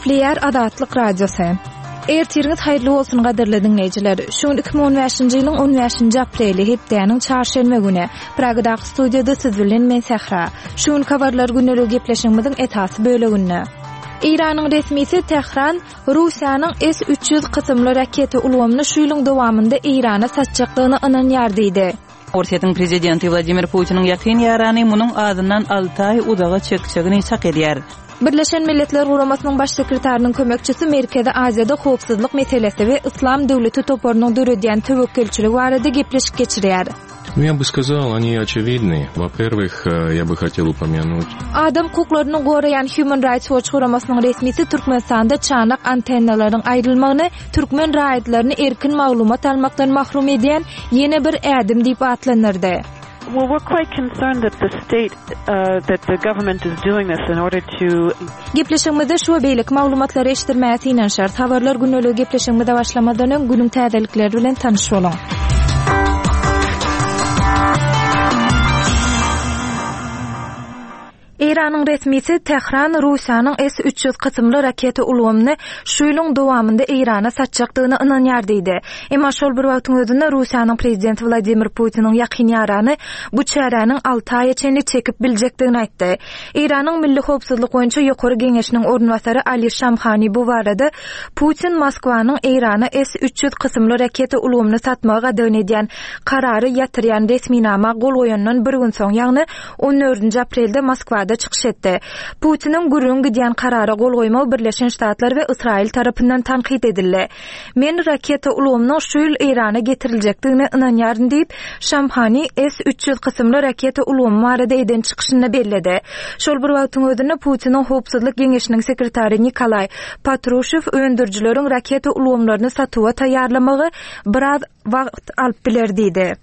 Gepleýär Azatlyk Radiosy. Ertiriňiz haýyrly bolsun gadyrly diňleýjiler. Şu gün 2015-nji ýylyň 15-nji apreli, hepdäniň çarşenbe güni. Pragadaky studiýada siz bilen men Sähra. Şu günki habarlar gündeligi gepleşigimiziň esasy böleginde. Eýranyň resmisi Tähran Russiýanyň S 300 kysymly raketa ulgamyny şu ýylyň dowamynda Eýrana satjakdygyna ynanýar diýdi. Orsýetiň prezidenti Wladimir Putiniň ýakyn ýarany munuň azyndan alty aý uzaga çekjegini çak edýär. Birleşen Milletler Guramasynyň Baş sekretarynyň kömekçisi Merkezi Aziýada howpsuzlyk meselesi we Yslam döwleti toparynyň döredýän töwekgelçiligi barada gepleşik geçirýär. Nu, я бы сказал, они очевидны. Во-первых, э, я бы хотел упомянуть. Adam hukuklaryny goraýan Human Rights Watch guramasynyň resmisi Türkmenistanda çanak antennalaryň aýrylmagyny türkmen raýatlaryny erkin maglumat almakdan mahrum edýän ýene bir ädim diýip atlandyrdy. Well, we're quite concerned that the state, uh, that the government is doing this in order to Gepleşigimizde şu we beýleki maglumatlary eşitdirmäge synanyşarys. Habarlar gündeligi gepleşigimize başlamazdan öň günüň täzelikleri bilen tanyş boluň. Eýranyň resmisi Tähran Russiýanyň S 300 kysymly raketa ulgamyny şu ýylyň dowamynda Eýrana satjakdygyna ynanýar diýdi. Emma şol bir wagtyň özünde Russiýanyň prezidenti Wladimir Putiniň ýakyn ýarany bu çäräniň alty aýa çenli çekip biljekdigini aýtdy. Eýranyň Milli howpsuzlyk boýunça ýokary geňeşiniň orunbasary Ali Şamhani bu barada Putin Moskwanyň Eýrana S 300 kysymly raketa ulgamyny satmagy gadagan edýän karary ýatyrýan resminama gol goýandan bir gün soň, ýagny on dördünji aprelde Moskwada çykyş etdi. Putiniň gürrüň gidýän karara gol goýmagy Birleşen Ştatlar we Ysraýyl tarapyndan tankyt edildi. Men raketa ulgamynyň şu ýyl Eýrana getiriljekdigine ynanýaryn diýip, Şamhani S 300 kysymly raketa ulgamy barada eden çykyşynda belledi. Şol bir wagtyň özünde Putiniň Howpsuzlyk geňeşiniň sekretary Nikolaý Patruşew öndürijileriň raketa ulgamlaryny satuwa taýýarlamagy biraz wagt alyp biler diýdi.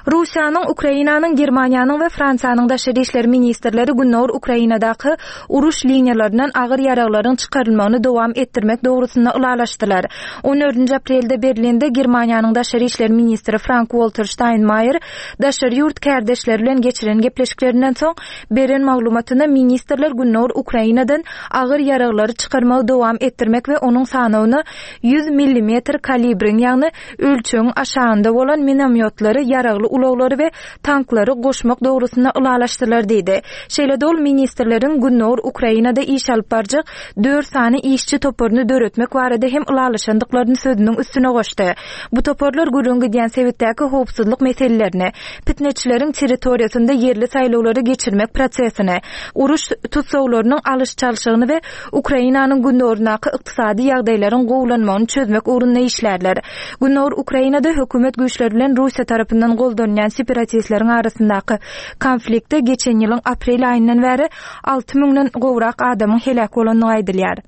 Russiýanyň, Ukrainanyň, Germaniýanyň we Fransiýanyň daşary işler ministrleri gündogar Ukrainadaky uruş liniýalaryndan agyr ýaraglaryň çykarylmagyny dowam etdirmek dogrusynda ylalaşdylar. On dördünji aprelde Berlinde Germaniýanyň daşary işler ministri Frank-Walter Ştaýnmaýer daşary ýurt kärdeşleri bilen geçiren gepleşiklerinden soň beren maglumatynda ministrler gündogar Ukrainadan agyr ýaraglary çykarmagy dowam etdirmek we onuň sanawyna 100 millimetr kalibriň, ýagny ölçegiň aşagynda bolan minomýotlary, ýaragly ulaglary we tanklary goşmak dogrusynda ylalaşdylar diýdi. Şeýle-de ol ministrleriň gündogar Ukrainada iş alyp barjak dört sany işçi toparyny döretmek barada hem ylalaşandyklaryny sözüniň üstüne goşdy. Bu toparlar gürrüň gidýän sebitdäki howpsuzlyk meselelerini, pitneçileriň territoriýasynda ýerli saýlawlary geçirmek prosesini, uruş tussaglarynyň alyş-çalşygyny we Ukrainanyň gündogaryndaky ykdysady ýagdaýlaryň gowulanmagyny çözmek ugrunda işlärler. Gündogar Ukrainada hökümet güýçleri bilen Russiýa tarapyndan goldanylýan separatistleriň arasyndaky konfliktde geçen ýylyň aprel aýyndan bäri alty müňden gowrak adamyň heläk bolandygy aýdylýar.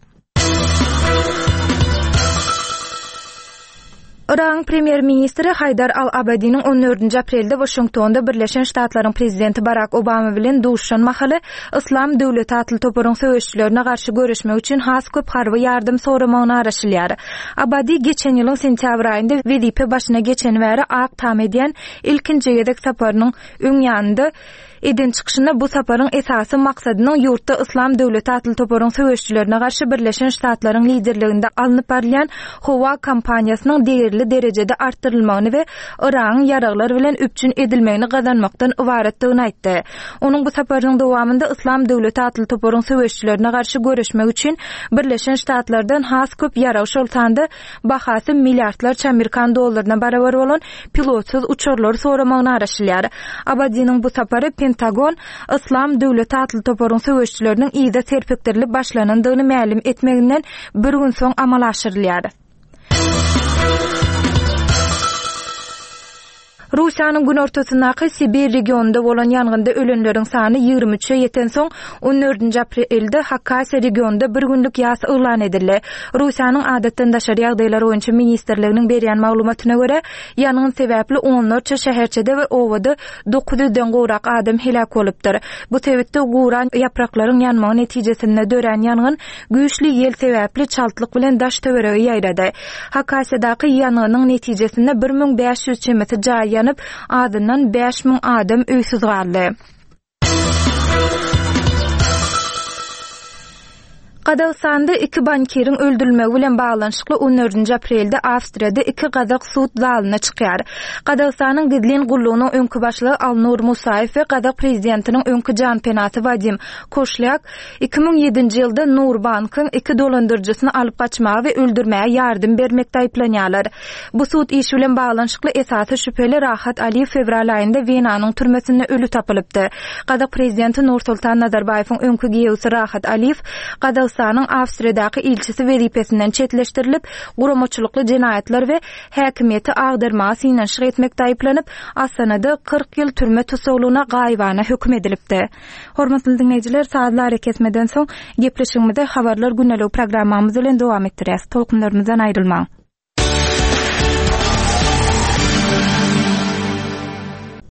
Yragyň premýer-ministri Haýdar al-Abadiniň on dördünji aprelde Waşingtonda Birleşen Ştatlaryň prezidenti Barak Obama bilen duşuşan mahaly Yslam döwleti atly toparyň söweşijilerine garşy göreşmek üçin has köp harby ýardam soramagyna garaşylýar. Abadi geçen ýylyň sentýabr aýynda wezipe başyna geçeni bäri Ak Tama edýän ilkinji gezek saparynyň öň ýanynda Eden çykyşynda bu saparyň esasy maksadynyň ýurtda Yslam döwleti atly toparyň söweşijilerine garşy Birleşen Ştatlaryň liderliginde alnyp barylýan howa kampaniýasynyň degerli derejede artdyrylmagyny we Yragyň ýaraglar bilen üpjün edilmegini gazanmakdan ybaratdygyny aýtdy. Onuň bu saparynyň dowamynda Yslam döwleti atly toparyň söweşijilerine garşy göreşmek üçin Birleşen Ştatlardan has köp ýarag, şol sanda bahasy milliardlarça amerikan dollaryna barabar bolan pilotsyz uçarlary soramagyna garaşylýar. Abadiniň bu sapary Pentagon Yslam döwleti atly toparyň söweşijileriniň yza serpikdirilip başlanandygyny mälim etmeginden bir gün soň amala aşyrylýar. Russiýanyň günortasyndaky Sibir regionynda bolan ýangynda ölenleriň sany 23-e ýetensoň, on dördünji aprelde Hakasiýa regionynda bir günlük ýas yglan edildi. Russiýanyň Adatdan daşary ýagdaýlar boýunça ministrliginiň berýän maglumatyna görä, ýangyn sebäpli onlarça şäherçede we obada dokuz ýüzden gowrak adam heläk bolupdyr. Bu sebitde guran ýapraklaryň ýanmagy netijesinde dörän ýangyn Güýçli ýel sebäpli çaltlyk bilen daş-töwerege ýaýrady. Hakasiýadaky ýangynyň netijesinde 1500 çemesi jaý ýanyp, azyndan 5000 adam öýsüz galdy. Gazagystanda iki bankiriň öldürilmegi bilen baglanyşykly on dördünji aprelde Awstriýada iki gazak sud zalyna çykýar. Gazagystanyň gizlin gullugynyň öňki başlygy Alnur Musaýew we gazak prezidentiniň öňki janpenasy Wadim Koşlýak 2007-nji ýylda Nurbankyň iki dolandyryjysyny alyp gaçmaga we öldürmäge ýardam bermekde aýyplanýarlar. Bu sud işi bilen baglanyşykly esasy şübheli Rahat Aliýew fewral aýynda Wenanyň türmesinde öli tapylypdy. Gazak prezidenti Nursultan Nazarbaýewiň öňki giýewsi Rahat Aliýew Gazagystanyň Awstriýadaky ilçisi wezipesinden çetleşdirilip, guramaçylykly jenaýatlar we häkimiýeti agdarmaga synanyşyk etmekde aýyplanyp, Astanada 40 ýyl türme tussaglygyna gaýybana höküm edilipdi. Hormatly diňleýjiler, sazly arakesmeden soň, gepleşigimizi Habarlar gündeligi programmamyz bilen dowam etdirýäs. Tolkunlarymyzdan aýrylmaň!